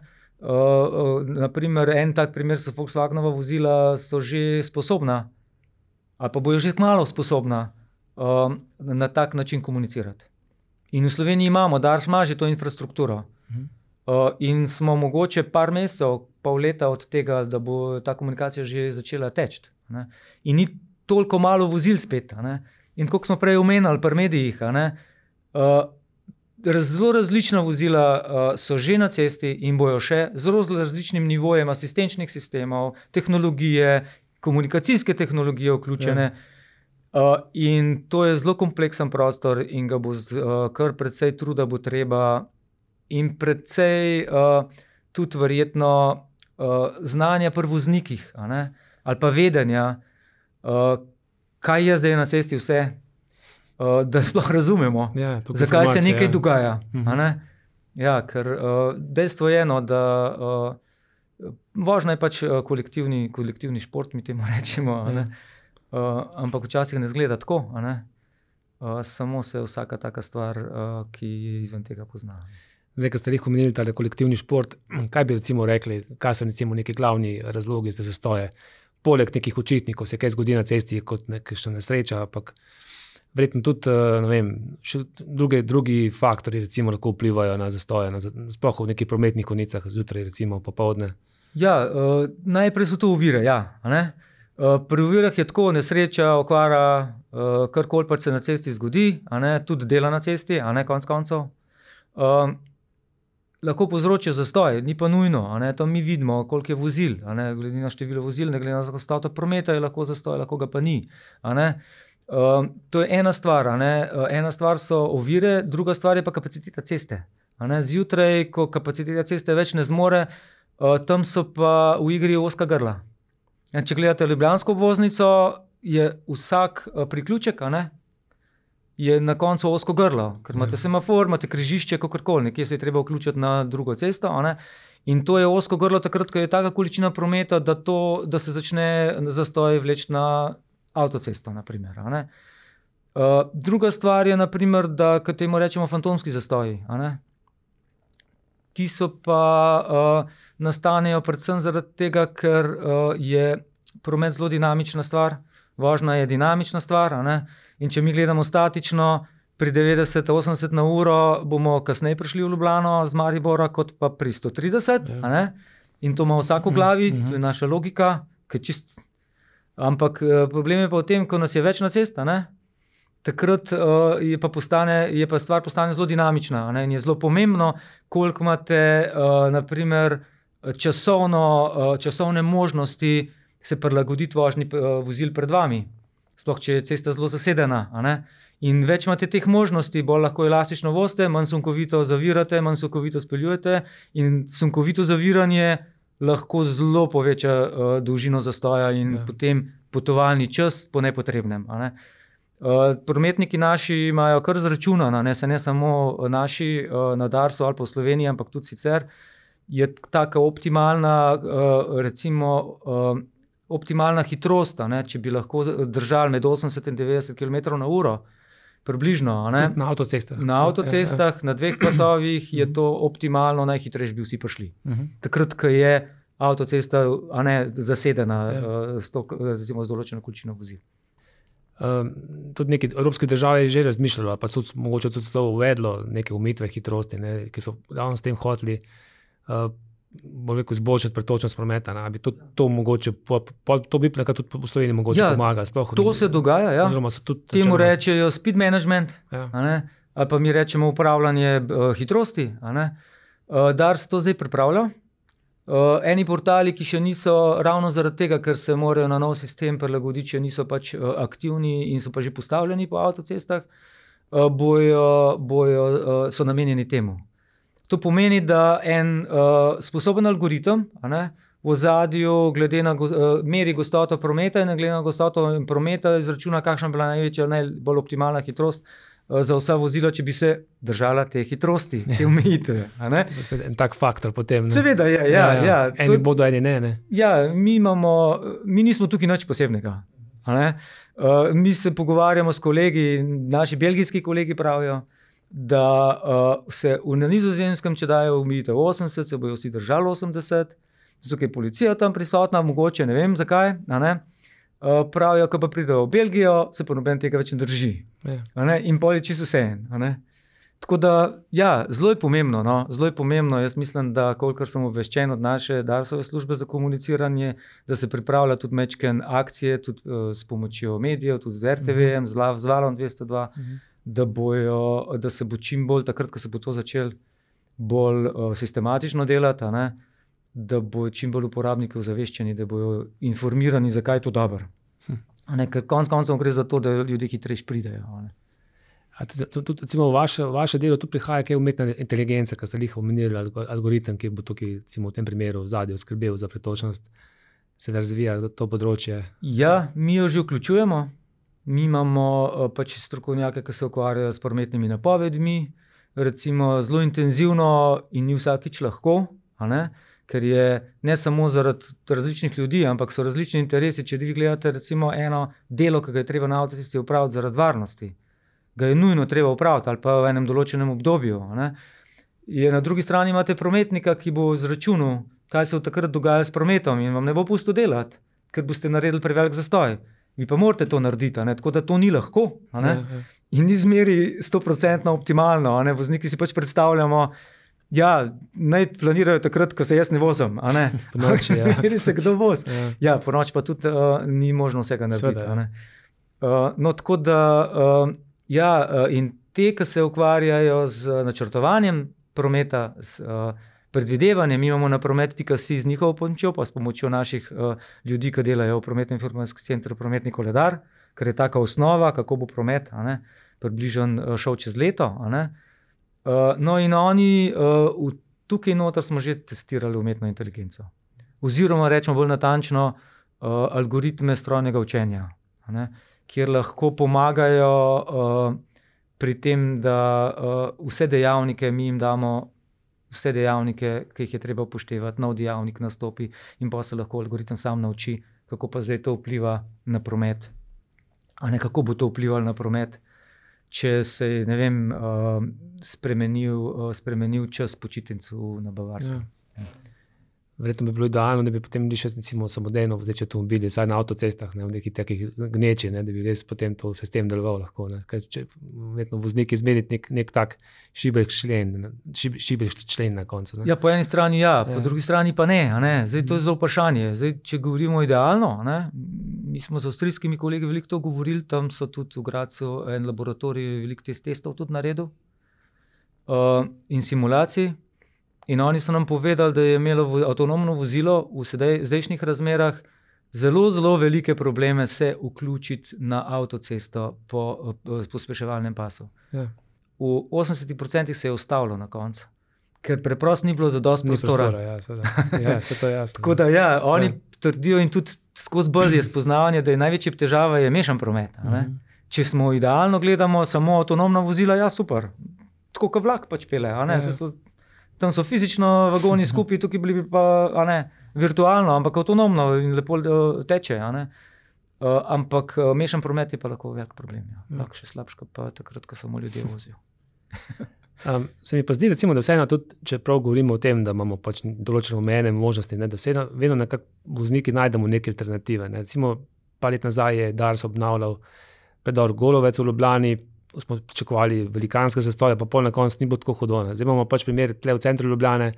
naprimer, en tak primer so Volkswagenova vozila, so že sposobna, ali pa bojo že kmalu sposobna na tak način komunicirati. In v Sloveniji imamo, Dars ima že to infrastrukturo. In smo mogoče par mesecev, pol leta od tega, da bo ta komunikacija že začela teči. In ni toliko malo vozil spet. Ne. In kot smo prej omenili pri medijih, zelo različna vozila so že na cesti in bojo še z različnim nivojem asistenčnih sistemov, tehnologije, komunikacijske tehnologije vključene. In to je zelo kompleksen prostor in ga bo kar precej truda bo treba in precej tudi verjetno znanja pri voznikih, ali pa vedenja, kaj je zdaj na cesti vse, da sploh razumemo, Ja, toliko zakaj se informacije, nekaj ja. dogaja. Ja, ker dejstvo je, da vožnja je pač kolektivni šport, mi temu rečemo, ampak včasih ne izgleda tako, samo se vsaka taka stvar, ki je izven tega pozna. Zdaj, ko ste jih omenili, ta kolektivni šport, kaj bi recimo rekli, kaj so recimo neki glavni razlogi za zastoje? Poleg nekih očitnikov se kaj zgodi na cesti kot nekakšna nesreča, ampak verjetno tudi, ne vem, še drugi faktorji recimo lahko vplivajo na zastoje, sploh v nekih prometnih konicah, zjutraj recimo, popoldne. Ja, najprej so to ovire, ja, pri ovirah je tako, nesreča, okvara, karkoli pač se na cesti zgodi, tudi dela na cesti, konec koncev. Lahko povzročijo zastoj, ni pa nujno, to mi vidimo, koliko je vozil, glede na število vozil, ne glede na gostoto prometa, je lahko zastoj, lahko ga pa ni, to je ena stvar, ena stvar so ovire, druga stvar je pa kapaciteta ceste, zjutraj, ko kapaciteta ceste več ne zmore, tam so pa v igri ozka grla. Če gledate ljubljansko obvoznico, je vsak priključek, je na koncu ozko grlo, ker imate semafor, imate križišče, kakorkoli, nekje se je treba vključiti na drugo cesto, in to je ozko grlo takrat, ko je taka količina prometa, da se začne zastoj vleči na avtocesto, na primer, druga stvar je, na primer, da k temu rečemo fantomski zastoji, Ti so pa nastanejo predvsem zaradi tega, ker je promet zelo dinamična stvar, vožnja je dinamična stvar, in če mi gledamo statično, pri 90-80 na uro bomo kasneje prišli v Ljubljano z Maribora kot pa pri 130, in to ima vsak v glavi, to je naša logika, ampak problem je pa v tem, ko nas je več na cesti, takrat je pa stvar postane zelo dinamična, in je zelo pomembno, koliko imate na primer časovne možnosti se prilagoditi vožnji vozil pred vami, sploh če je cesta zelo zasedena, in več imate teh možnosti, bolj lahko elastično vozite, manj sunkovito zavirate, manj sunkovito speljujete, in sunkovito zaviranje lahko zelo poveča dolžino zastoja in potem potovalni čas po nepotrebnem, prometniki naši imajo kar zračunano, ne samo naši na Darsu ali pa v Sloveniji, ampak tudi sicer, je taka optimalna, recimo, optimalna hitrost, če bi lahko držali med 80 in 90 km/h, približno. Na avtocestah. Na avtocestah, na 2 pasovih je to optimalno, najhitrejši bi vsi prišli. Takrat, ko je avtocesta zasedena z določeno količino vozil. Tudi neke evropske države je že razmišljalo, pa tudi mogoče tudi to uvedlo neke omejitve hitrosti, ne, ki so ravno s tem hoteli izboljšati pretočnost prometa. Ne, bi to mogoče, to bi nekaj tudi v Sloveniji mogoče pomaga. To se dogaja, ja. Temu rečejo speed management, ali pa mi rečemo upravljanje hitrosti. Dars to zdaj pripravlja. Eni portali, ki še niso ravno zaradi tega, ker se morajo na nov sistem prilagoditi, če niso pač aktivni in so pa že postavljeni po avtocestah, so namenjeni temu. To pomeni, da en sposoben algoritem v ozadju meri gostoto prometa in glede na gostoto prometa izračuna, kakšna je bila največja, najbolj optimalna hitrost za vsa vozila, če bi se držala te hitrosti, te omejitve. En tak faktor potem. Ne? Seveda je, ja. Eni bodo, eni ne. Ja, mi nismo tukaj nič posebnega. Mi se pogovarjamo s kolegi, naši belgijski kolegi pravijo, da se na Nizozemskem, če dajo omejitev 80, se bojo vsi držali 80, zato je policija tam prisotna, mogoče ne vem zakaj, pravijo, ko pa pridejo v Belgijo, se pa noben tega več ne drži. In pol je čisto vseeno. Tako da, ja, zelo je pomembno, zelo je pomembno. Jaz mislim, da kolikor sem obveščen od naše Darsove službe za komuniciranje, da se pripravlja tudi mečken akcije, tudi s pomočjo medijev, tudi z RTV-jem, z Valom 202, da se bo čim bolj, takrat, ko se bo to začel bolj sistematično delati, da bo čim bolj uporabniki ozaveščeni, da bojo informirani, zakaj je to dobro. Ker konec koncev gre za to, da ljudje hitrejš pridejo. Recimo vaše delo tu prihaja kaj umetna inteligenca, ki ste jih omenili, algoritem, ki bo tukaj v tem primeru v zadju skrbel za pretočnost, se da razvija to področje? Ja, mi jo že vključujemo. Mi imamo pač strokovnjake, ki se ukvarjajo s prometnimi napovedmi, recimo zelo intenzivno in ni vsakič lahko, ker je ne samo zaradi različnih ljudi, ampak so različni interesi. Če vi gledate recimo eno delo, ki ga je treba na avtocesti opraviti zaradi varnosti, ga je nujno treba opraviti ali pa v enem določenem obdobju. Na drugi strani imate prometnika, ki bo izračunal, kaj se v takrat dogaja s prometom in vam ne bo pustil delati, ker boste naredili prevelik zastoj. Vi pa morate to narediti, tako da to ni lahko. In ni zmeri 100% optimalno. Vozniki si pač predstavljamo, naj planirajo takrat, ko se jaz ne vozim. Po noči, ja. Meri se kdo voz. Ja, po noči pa tudi ni možno vsega narediti. Tako da, in te, ki se ukvarjajo z načrtovanjem prometa, s predvidevanjem, mi imamo na promet.si z njihovo pomočjo, pa s pomočjo naših ljudi, ki delajo v prometno-informacijskem centru Prometni koledar, ker je taka osnova, kako bo promet približen šel čez leto. In oni, tukaj noter smo že testirali umetno inteligenco. Oziroma, rečemo bolj natančno, algoritme strojnega učenja, kjer lahko pomagajo pri tem, da vse dejavnike, mi jim damo vse dejavnike, ki jih je treba upoštevati, nov dejavnik nastopi in pa se lahko algoritem sam nauči, kako pa zdaj to vpliva na promet. Kako bo to vplivalo na promet, če se je, ne vem, spremenil čas počitnicu na Bavarskem. Verjetno bi bilo idealno, da bi potem še samodejno vozeči avtomobili, vsaj na avtocestah, v nekih takih gneči, da bi res potem to sistem deloval lahko. Če verjetno vozniki izmeriti nek tak šibek člen na koncu. Ja, po eni strani po drugi strani pa ne. Zdaj to je zelo vprašanje. Zdaj, če govorimo idealno, mi smo z avstrijskimi kolegi veliko to govorili, tam so tudi v Gradcu en laboratorij veliko testov tudi naredil in simulacij. In oni so nam povedali, da je imelo avtonomno vozilo v zdajšnjih razmerah zelo, zelo velike probleme se vključiti na avtocesto po pospeševalnem pasu. Ja. V 80% se je ustavilo na koncu, ker preprosto ni bilo zadosti prostora. Se to je jasno. Tako da oni trdijo in tudi skozi brzo je spoznavanje, da je največja težava mešan promet. Če smo idealno gledamo samo avtonomna vozila, super. Tako kot vlak pač pele. Tam so fizično vagoni skupaj, tukaj bili pa virtualno, ampak avtonomno in lepo teče. Ampak mešan promet je pa lahko velik problem. Lahko še slabška pa takrat, ko samo ljudje vozijo. Se mi pa zdi, recimo, da vseeno tudi, če prav govorimo o tem, da imamo pač določene omejene možnosti, da vseeno vedno nekako vozniki najdemo neke alternative. Recimo, par let nazaj je Dars obnavljal predor Golovec v Ljubljani, smo pričakovali velikanske zastoje, pa pol na koncu ni bilo tako hudo. Zdaj imamo pač primer tle v centru Ljubljane,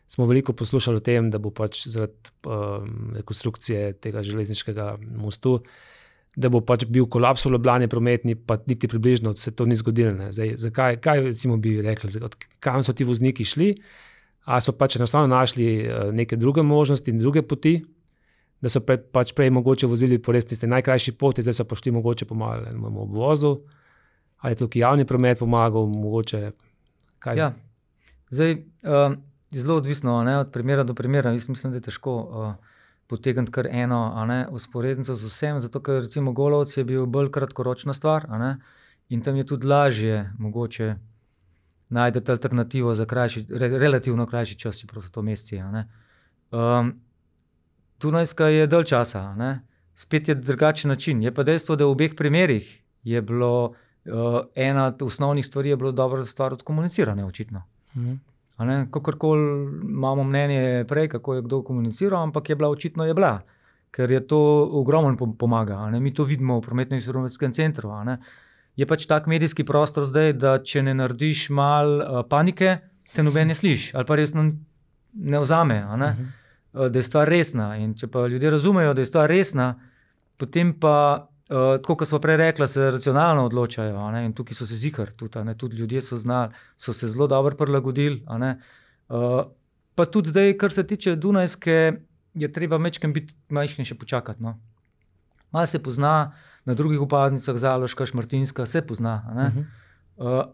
smo veliko poslušali o tem, da bo pač zaradi rekonstrukcije tega železniškega mostu, da bo pač bil kolaps v Ljubljani prometni, pa niti približno se to ni zgodilo. Zdaj, zakaj, kaj recimo bi rekli, kam so ti vozniki šli, a so pač enostavno našli neke druge možnosti in druge poti, da so pač prej mogoče vozili po res tiste najkrajši poti, zdaj so pa šli mogoče pomagali v obvozu, ali je tukaj javni promet pomagal, mogoče kaj? Ja, zdaj zelo odvisno, od primera do primera. Jaz mislim, da je težko potegniti kar eno usporednico z vsem, zato ker recimo Golovec je bil bolj kratkoročna stvar, in tam je tudi lažje mogoče najti alternativo za relativno krajši čas, čeprav so to meseci. Dunajska je dalj časa, spet je drugačen način. Je pa dejstvo, da v obeh primerih je bilo ena od osnovnih stvari je bilo dobro stvar odkomunicirane, očitno. Kakorkoli imamo mnenje prej, kako je kdo komuniciral, ampak je bila očitno, ker je to ogromno pomaga. Mi to vidimo v prometno-informacijskem centru. Je pač tak medijski prostor zdaj, da če ne narediš malo panike, te noben ne sliši ali pa resno ne vzame, da je stvar resna. In če pa ljudje razumejo, da je stvar resna, potem pa, tako kot smo prej rekla, se racionalno odločajo. In tukaj so se zikar, tudi ljudje so znali, so se zelo dobro prilagodili. Pa tudi zdaj, kar se tiče Dunajske, je treba majčkeno še počakati. Malo se pozna, na drugih vpadnicah, Zaloška, Šmartinska, se pozna.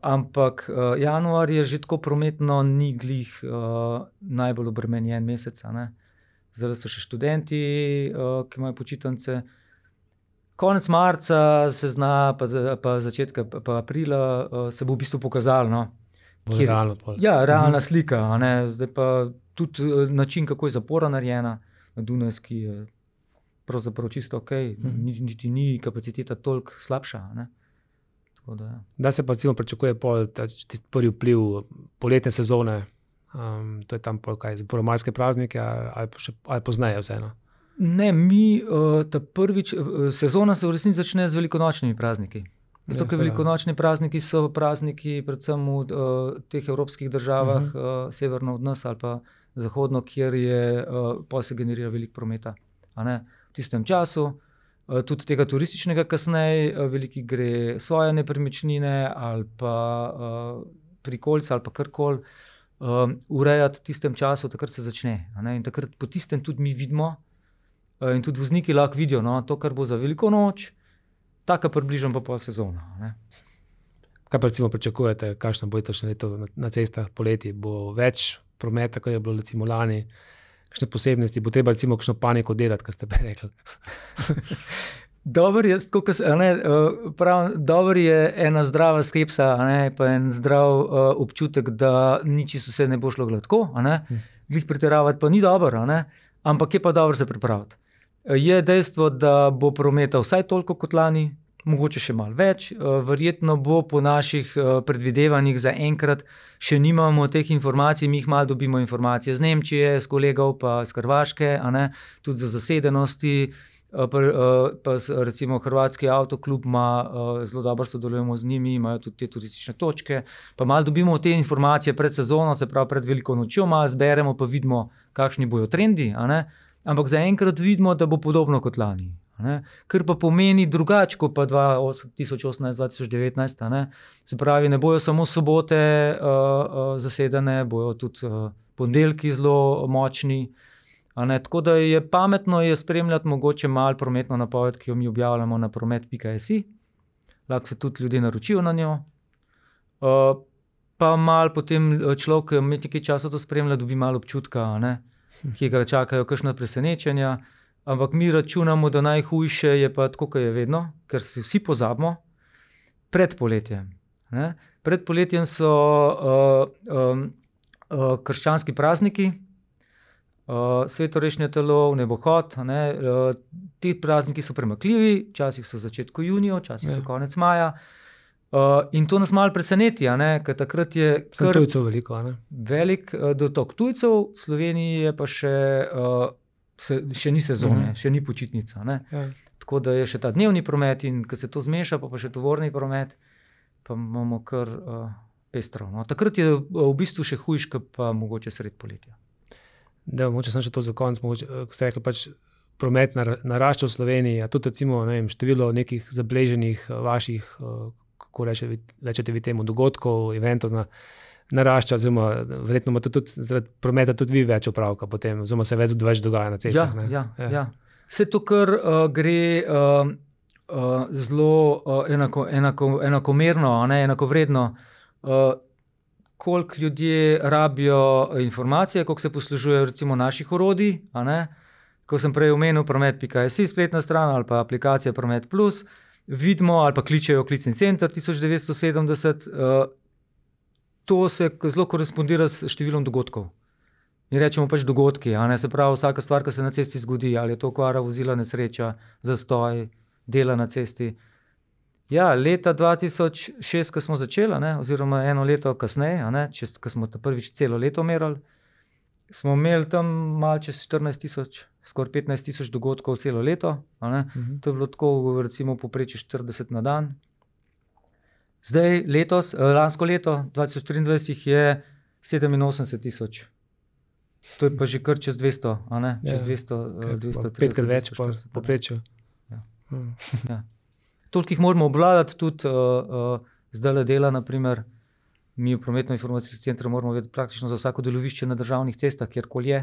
Ampak januar je že tako prometno ni glih najbolj obremenjen mesec. Zdaj so še študenti, ki imajo počitnice. Konec marca se zna, pa začetka pa aprila se bo v bistvu pokazalo. Realna slika. Zdaj pa tudi način, kako je zapora narejena na Dunajski, je pravzaprav čisto ok, niti ni kapaciteta toliko slabša. Da se pa recimo pričakuje prvi vpliv poletne sezone, to je tam prvomajske praznike ali pozneje vseeno? Ne, sezona se v resnici začne z velikonočnimi prazniki. Zato, ker velikonočni prazniki so prazniki predvsem v teh evropskih državah, severno od nas ali pa zahodno, kjer pa se generira veliko prometa. V tistem času, tudi tega turističnega kasneje, veliki gre svoje nepremičnine ali pa prikolice ali pa karkoli urejati v tistem času, takrat se začne. In takrat po tistem tudi mi vidimo in tudi vozniki lahko vidijo, to, kar bo za veliko noč, taka približno pa pol sezona. Kaj pa recimo pričakujete, kakšno bo letošnje leto na cestah poleti? Bo več prometa, kot je bilo recimo lani? Kakšne posebnosti? Bo treba recimo kakšno paniko delati, kar ste prej rekli? Dobro je ena zdrava skepsa, pa en zdrav občutek, da nič vse ne bo šlo gladko. Glih pretiravati pa ni dobro, ampak je pa dobro se pripraviti. Je dejstvo, da bo prometa vsaj toliko kot lani, mogoče še malo več. Verjetno bo po naših predvidevanjih zaenkrat še nimamo teh informacij, mi jih malo dobimo informacije z Nemčije, s kolegov pa z Hrvaške, tudi za zasedenosti. Pa recimo Hrvatski avtoklub ima, zelo dobro sodelujemo z njimi, imajo tudi te turistične točke. Pa malo dobimo te informacije pred sezono, se pravi pred veliko nočjo, malo zberemo pa vidimo, kakšni bojo trendi. Ampak zaenkrat vidimo, da bo podobno kot lani. Kar pa pomeni drugače kot pa 2018-2019. Se pravi, ne bojo samo sobote zasedene, bojo tudi ponedeljki zelo močni. Tako da je pametno spremljati mogoče malo prometno napoved, ki jo mi objavljamo na promet.si. Lahko se tudi ljudje naročijo na njo. Pa malo potem človek, ki nekaj časa to spremlja, dobi malo občutka, ki ga čakajo kakšna presenečenja. Ampak mi računamo, da najhujše je pa tako, kot je vedno, ker se vsi pozabimo, pred poletjem. Pred poletjem so krščanski prazniki, svetorešne telo, nebohod. Ti prazniki so premakljivi, včasih so v začetku junija, včasih so konec maja. In to nas malo preseneti, ker takrat je kar tujcev veliko, velik dotok tujcev, v Sloveniji je pa še še ni sezone, še ni počitnica. Ne? Ja. Tako da je še ta dnevni promet in ko se to zmeša, pa še tovorni promet, pa imamo kar pestro. No? Takrat je v bistvu še hujš, kot pa mogoče sred poletja. Da, mogoče sem še to za konec, ste rekli, pač promet narašča v Sloveniji, a tudi recimo, ne vem, število nekih zabeleženih vaših, kako rečete vi temu, dogodkov, eventov narašča, oziroma verjetno imate tudi zaradi prometa tudi vi več opravka potem, oziroma se več dogaja na cestah. Ja. Vse to, kar gre zelo enakomerno, enakovredno, koliko ljudje rabijo informacije, koliko se poslužujejo recimo naših orodij, ko sem prej omenil promet.si spletna stran ali pa aplikacija Promet Plus, vidimo ali pa kličejo klicni center 1970, to se zelo korespondira s številom dogodkov. Mi rečemo pač dogodki, se pravi vsaka stvar, ki se na cesti zgodi, ali je to okvara vozila, nesreča, zastoj, dela na cesti. Ja, leta 2006, ko smo začeli, oziroma eno leto kasneje, ko smo prvič celo leto merali, smo imeli tam malo čez 14,000, skoraj 15,000 dogodkov celo leto. To je bilo tako, recimo, povprečju 40 na dan. Zdaj, lansko leto, 2023, je 87,000. To je pa že kar čez 200, čez 230. Petkrat več povprečju. Ja. Toliko jih moramo obvladati, tudi zdaj dela, naprimer, mi v prometno-informacijskem centru moramo vedeti praktično za vsako delovišče na državnih cestah, kjerkoli je.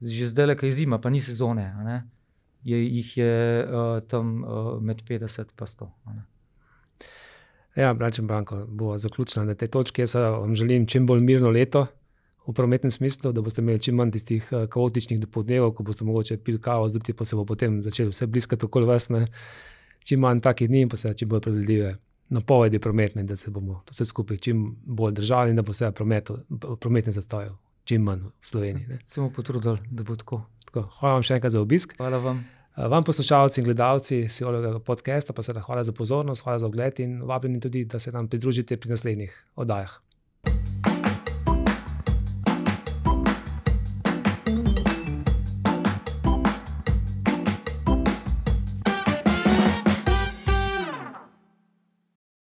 Že zdaj, ko je zima, pa ni sezone, jih je tam med 50 pa 100. Ja, Bračen Branko, bo zaključila na tej točki. Jaz vam želim čim bolj mirno leto v prometnem smislu, da boste imeli čim manj tistih kaotičnih dopoldnevov, ko boste mogoče pili kavo, zjutraj pa se bo potem začeli vse bliskati okoli vas, čim manj takih dni in pa se čim bolj predvidljive napovedi prometne, da se bomo vse skupaj čim bolj držali in da bo vse prometne zastojev čim manj v Sloveniji. Se bomo potrudili, da bo tako. Hvala vam še enkrat za obisk. Hvala vam. Vam poslušalci in gledalci Sijolovega podcasta pa seveda hvala za pozornost, hvala za ogled in vabljeni tudi, da se nam pridružite pri naslednjih oddajah.